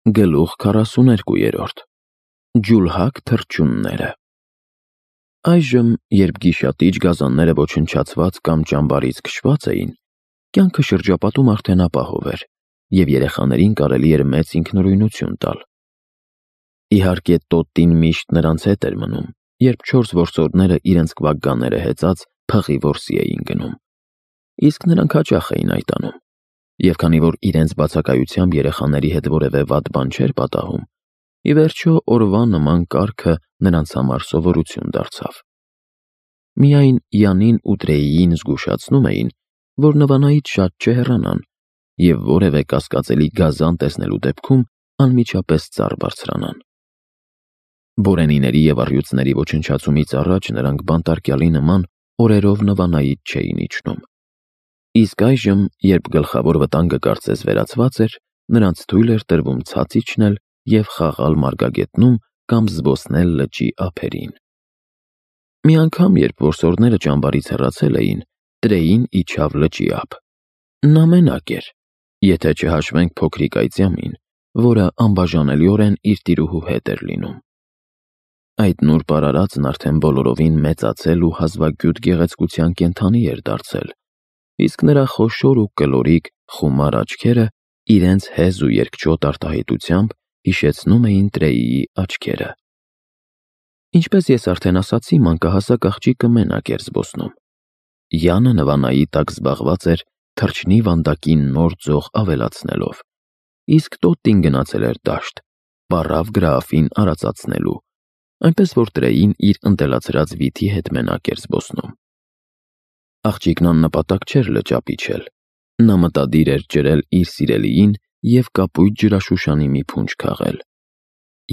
Գլուխ 42 Ջուլհակ թռչունները Այժմ, երբ գիշատիչ գազանները ոչնչացված կամ ճամբարից քշված էին, կյանքը շրջապատում արդեն ապահով էր, և երեխաներին կարելի էր մեծ ինքնուրույնություն տալ։ Իհարկե, Տոտտին միշտ նրանց հետ էր մնում, երբ 4 որսորդները իրենց կվագկանները հեծած փղի որսի էին գնում։ Իսկ նրանք հաճախ էին այդ անում, և քանի որ իրենց բացակայությամբ երեխաների հետ որևէ վատ բան չէր պատահում, ի վերջո օրվա նման կարգը նրանց համար սովորություն դարձավ։ Միայն Յանին ու Տրեյին զգուշացնում էին, որ Նվանայից շատ չհեռանան և որևէ կասկածելի գազան տեսնելու դեպքում անմիջապես ծառ բարձրանան։ Բորենիների և առյուծների ոչնչացումից առաջ նրանք բանտարկյալի նման օրերով Նվանայից չէին իջնում։ Իսկ այժմ, երբ գլխավոր վտանգը կարծես վերացված էր, նրանց թույլ էր տրվում ցած իջնել և խաղալ մարգագետնում կամ զբոսնել լճի ափերին։ Մի անգամ, երբ որսորդները ճամբարից հեռացել էին, Տրեյին իջավ լճի ափ։ Նա մենակ էր, եթե չհաշվենք փոքրիկ այծյամին, որը անբաժանելիորեն իր տիրուհու հետ էր լինում։ Այդ նուրբ արարածն արդեն բոլորովին մեծացել ու հազվագյուտ գեղեցկության կենդանի էր դարձել, իսկ նրա խոշոր ու կլորիկ խումար աչքերը իրենց հեզ ու երկչոտ արտահայտությամբ հիշեցնում էին Տրեյիի աչքերը։ Ինչպես ես արդեն ասացի, մանկահասակ աղջիկը մենակ էր զբոսնում։ Յանը Նվանայի տակ զբաղված էր թռչնի վանդակին նոր ձող ավելացնելով, իսկ Տոտտին գնացել էր դաշտ, պառավ Գրաաֆին արածացնելու, այնպես որ Տրեյին իր ընտելացրած վիթի հետ մենակ էր զբոսնում։ Աղջիկն աննպատակ չէր լճապ իջել։ Նա մտադիր էր ջրել իր սիրելիին և կապույտ ջրաշուշանի մի փունջ քաղել։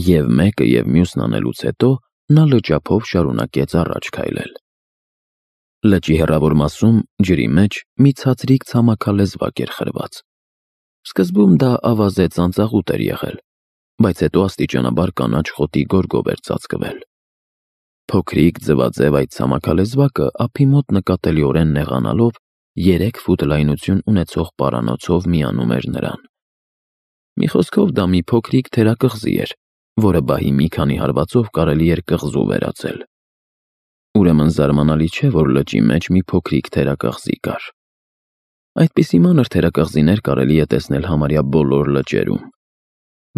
Եվ մեկը և մյուսն անելուց հետո նա լճափով շարունակեց առաջ քայլել։ Լճի հեռավոր մասում, ջրի մեջ, մի ցածրիկ ցամաքալեզվակ էր խրված։ Սկզբում դա ավազե ծանծաղուտ էր եղել, բայց հետո աստիճանաբար կանաչ խոտի գորգով էր ծածկվել։ Փոքրիկ ձվաձև այդ ցամաքալեզվակը ափի մոտ նկատելիորեն նեղանալով 3 ֆուտ լայնություն ունեցող պարանոցով միանում էր նրան։ Մի խոսքով դա մի փոքրիկ թերակղզի էր, որը բահի մի քանի հարվածով կարելի էր կղզու վերածել։ Ուրեմն զարմանալի չէ, որ լճի մեջ մի փոքրիկ թերակղզի կար։ Այդպիսի մանր թերակղզիներ կարելի է տեսնել համարյա բոլոր լճերում,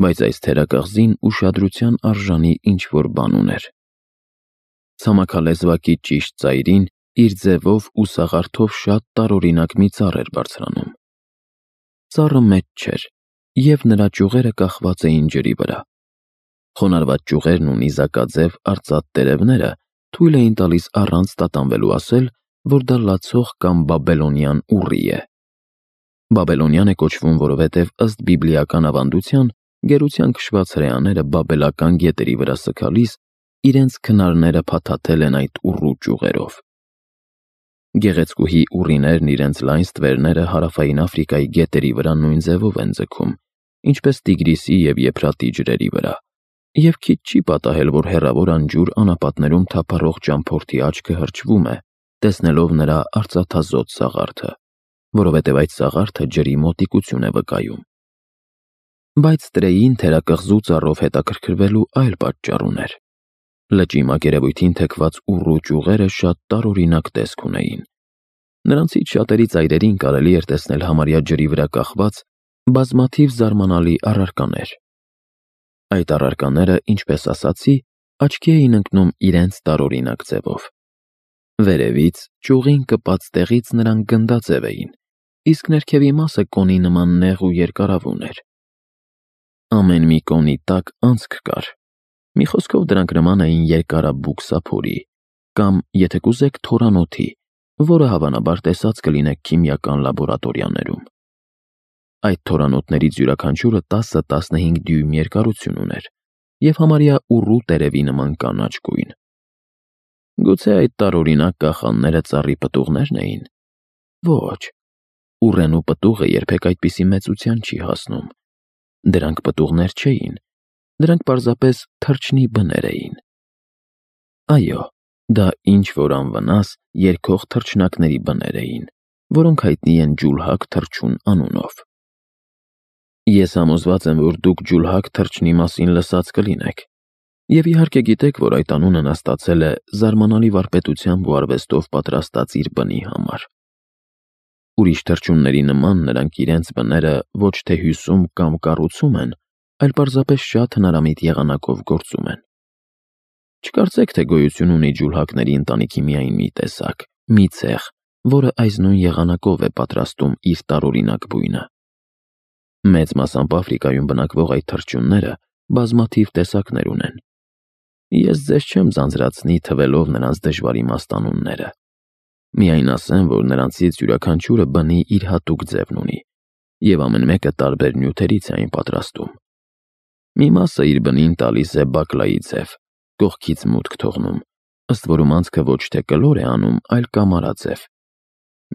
բայց այս թերակղզին ուշադրության արժանի ինչ-որ բան ուներ։ Ցամաքալեզվակի ճիշտ ծայրին իր ձևով ու սաղարթով շատ տարօրինակ մի ծառ էր բարձրանում։ Ծառը մեծ չէր, և նրա ճյուղերը կախված էին ջրի վրա։ Խոնարհված ճյուղերն ու նիզակաձև արծաթ տերևները թույլ էին տալիս առանց տատանվելու ասել, որ դա լացող կամ բաբելոնյան ուռի է։ Բաբելոնյան է կոչվում, որովհետև ըստ բիբլիական ավանդության, գերության քշված հրեաները բաբելական գետերի վրա սգալիս իրենց քնարները փաթաթել են այդ ուռու ճյուղերով։ Գեղեցկուհի ուռիներն իրենց լայն ստվերները հարավային Աֆրիկայի գետերի վրա նույն ձևով են ձգում, ինչպես Տիգրիսի և Եփրատի ջրերի վրա, և քիչ չի պատահել, որ հեռավոր անջուր անապատներում թափառող ճամփորդի աչքը հրճվում է, տեսնելով նրա արծաթազոտ սաղարթը, որովհետև այդ սաղարթը ջրի մոտիկություն է վկայում։ Բայց Տրեյին թերակղզու ծառով հետաքրքրվելու այլ պատճառ ուներ։ Լճի մակերևույթին թեքված ուռու ճյուղերը շատ տարօրինակ տեսք ունեին։ Նրանցից շատերի ծայրերին կարելի էր տեսնել համարյա ջրի վրա կախված բազմաթիվ զարմանալի առարկաներ։ Այդ առարկաները, ինչպես ասացի, աչքի էին ընկնում իրենց տարօրինակ ձևով։ Վերևից, ճյուղին կպած տեղից նրանք գնդաձև էին, իսկ ներքևի մասը կոնի նման նեղ ու երկարավուն էր։ Ամեն մի կոնի տակ անցք կար։ Մի խոսքով դրանք նման էին երկարաբուկ սափորի, կամ, եթե կուզեք, թորանոթի, որը հավանաբար տեսած կլինեք քիմիական լաբորատորիաներում։ Այդ թորանոթներից յուրաքանչյուրը 10-15 դյույմ երկարություն ուներ և համարյա ուռու տերևի նման կանաչ գույն։ Գուցե այդ տարօրինակ կախանները ծառի պտուղնե՞րն էին։ Ոչ, ուռենու պտուղը երբեք այդպիսի մեծության չի հասնում։ Դրանք պտուղներ չէին, դրանք պարզապես թռչնի բներ էին։ Այո, դա ինչ-որ անվնաս երգող թռչնակների բներ էին, որոնք հայտնի են ջուլհակ թռչուն անունով։ Ես համոզված եմ, որ դուք ջուլհակ թռչնի մասին լսած կլինեք, և իհարկե գիտեք, որ այդ անունը նա ստացել է զարմանալի վարպետությամբ ու արվեստով պատրաստած իր բնի համար։ Ուրիշ թռչունների նման նրանք իրենց բները ոչ թե հյուսում կամ կառուցում են, այլ պարզապես շատ հնարամիտ եղանակով գործում են։ Չկարծեք, թե գոյություն ունի ջուլհակների ընտանիքի միայն մի տեսակ, մի ցեղ, որը այս նույն եղանակով է պատրաստում իր տարօրինակ բույնը։ Մեծ մասամբ Աֆրիկայում բնակվող այդ թռչունները բազմաթիվ տեսակներ ունեն։ Ես ձեզ չեմ ձանձրացնի թվելով նրանց դժվար իմաստ անունները։ Միայն ասեմ, որ նրանցից յուրաքանչյուրը բնի իր հատուկ ձևն ունի, և ամեն մեկը տարբեր նյութերից է այն պատրաստում։ Մի մասը իր բնին տալիս է բակլայի ձև, կողքից մուտք թողնում, ըստ որում անցքը ոչ թե կլոր է անում, այլ կամարաձև։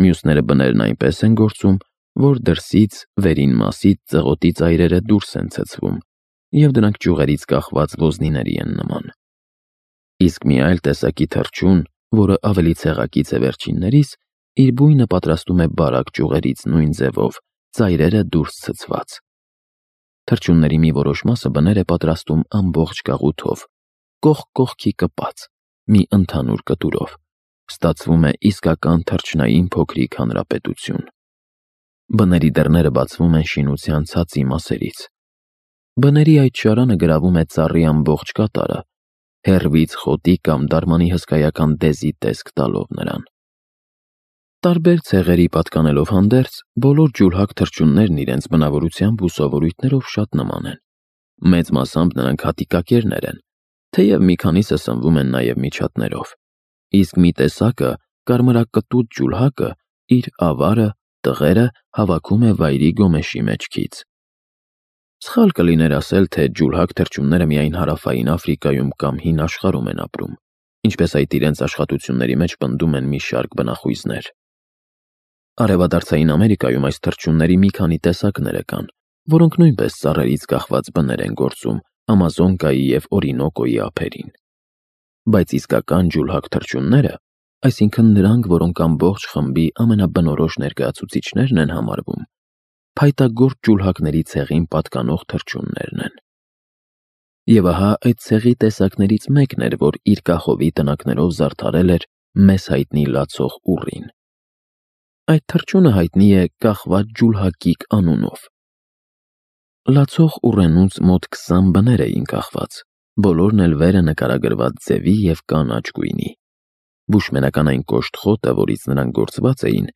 Մյուսները բներն այնպես են գործում, որ դրսից, վերին մասից ծղոտի ծայրերը դուրս են ցցվում, և դրանք ճյուղերից կախված ոզնիների են նման։ Իսկ մի այլ տեսակի թռչուն, որը ավելի ցեղակից է վերջիններից, իր բույնը պատրաստում է բարակ ճյուղերից նույն ձևով, ծայրերը դուրս ցցված։ Թռչունների մի որոշ մասը բներ է պատրաստում ամբողջ գաղութով, կողք կողքի կպած, մի ընդհանուր կտուրով։ Ստացվում է իսկական թռչնային փոքրիկ հանրապետություն։ Բների դռները բացվում են շինության ցածի մասերից։ Բների այդ շարանը գրավում է ծառի ամբողջ կատարը, հեռվից խոտի կամ դարմանի հսկայական դեզի տեսք տալով նրան։ Տարբեր ցեղերի պատկանելով հանդերձ, բոլոր ջուլհակ թռչուններն իրենց բնավորությամբ ու սովորույթներով շատ նման են։ Մեծ մասամբ նրանք հատիկակերներ են, թեև մի քանիսը սնվում են նաև միջատներով։ Իսկ մի տեսակը, կարմրակտուտ ջուլհակը, իր ավարը, տղերը հավաքում է վայրի գոմեշի մեջքից։ Սխալ կլիներ ասել, թե ջուլհակ թռչունները միայն հարավային Աֆրիկայում կամ հին աշխարհում են ապրում, ինչպես այդ իրենց աշխատությունների մեջ պնդում են մի շարք բնախույզներ։ Արևադարձային Ամերիկայում այս թռչունների մի քանի տեսակներ կան, որոնք նույնպես ծառերից կախված բներ են գործում Ամազոնկայի և Օրինոկոյի ափերին։ Բայց իսկական ջուլհակ թռչունները, այսինքն նրանք, որոնք ամբողջ խմբի ամենաբնորոշ ներկայացուցիչներն են համարվում, փայտագործ ջուլհակների ցեղին պատկանող թռչուններն են։ Եվ ահա այդ ցեղի տեսակներից մեկն էր, որ իր կախովի տնակներով զարդարել էր մեզ հայտնի լացող ուռին։ Այդ թռչունը հայտնի է կախված ջուլհակիկ անունով։ Լացող ուռենուց մոտ 20 բներ էին կախված, բոլորն էլ վերը նկարագրված ձևի և կանաչ գույնի։ Բուշմենական այն կոշտ խոտը, որից նրանք գործված էին,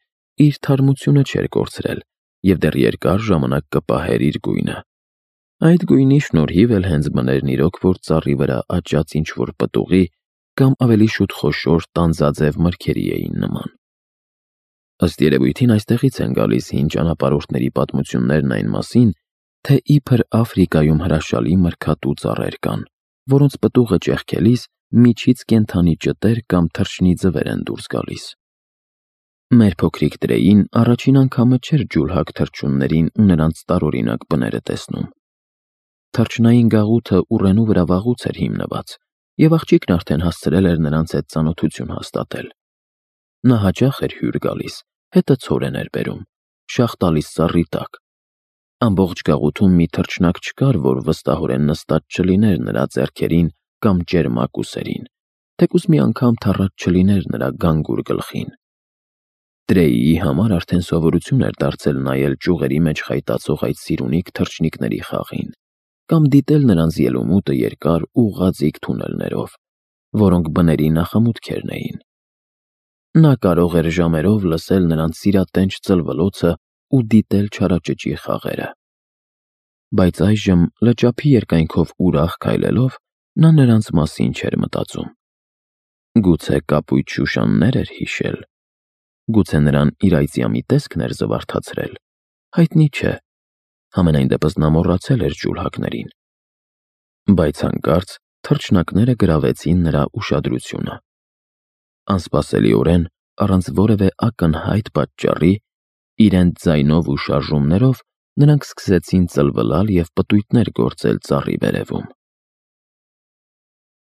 իր թարմությունը չէր կորցրել և դեռ երկար ժամանակ կպահեր իր գույնը։ Այդ գույնի շնորհիվ էլ հենց բներն իրոք, որ ծառի վրա աճած ինչ-որ պտուղի կամ ավելի շուտ խոշոր տանձաձև մրգերի էին նման։ Ըստ երևույթին այստեղից են գալիս հին ճանապարհորդների պատմություններն այն մասին, թե իբր Աֆրիկայում հրաշալի մրգատու ծառեր կան, որոնց պտուղը ճեղքելիս միջից կենդանի ճտեր կամ թռչնի ձվեր են դուրս գալիս։ Մեր փոքրիկ Տրեին առաջին անգամը չէր ջուլհակ թռչուններին ու նրանց տարօրինակ բները տեսնում։ Թռչնային գաղութը ուռենու վրա վաղուց էր հիմնված, և աղջիկն արդեն հասցրել էր նրանց հետ ծանոթություն հաստատել։ Նա հաճախ էր հյուր գալիս, հետը ցորեն էր բերում, շաղ տալիս ծառի տակ։ Ամբողջ գաղութում մի թռչնակ չկար, որ վստահորեն նստած չլիներ նրա ձեռքերին կամ ճերմակ ուսերին, թեկուզ մի անգամ թռած չլիներ նրա գանգուր գլխին։ Տրեիի համար արդեն սովորություն էր դարձել նայել ճյուղերի մեջ խայտացող այդ սիրունիկ թռչնիկների խաղին, կամ դիտել նրանց ելումուտը երկար ուղղաձիգ թունելներով, որոնք բների նախամուտքերն էին։ Նա կարող էր ժամերով լսել նրանց սիրատենչ ծլվլոցը ու դիտել չարաճճի խաղերը։ Բայց այժմ լճափի երկայնքով ուրախ քայլելով, նա նրանց մասին չէր մտածում։ Գուցե կապույտ շուշաններ էր հիշել։ Գուցե նրան իր այծյամի տեսքն էր զվարթացրել։ Հայտնի չէ։ Համենայն դեպս նա մոռացել էր ջուլհակներին։ Բայց հանկարծ թռչնակները գրավեցին նրա ուշադրությունը։ Անսպասելիորեն, առանց որևէ ակնհայտ պատճառի, իրենց ձայնով ու շարժումներով նրանք սկսեցին ծլվլալ և պտույտներ գործել ծառի վերևում։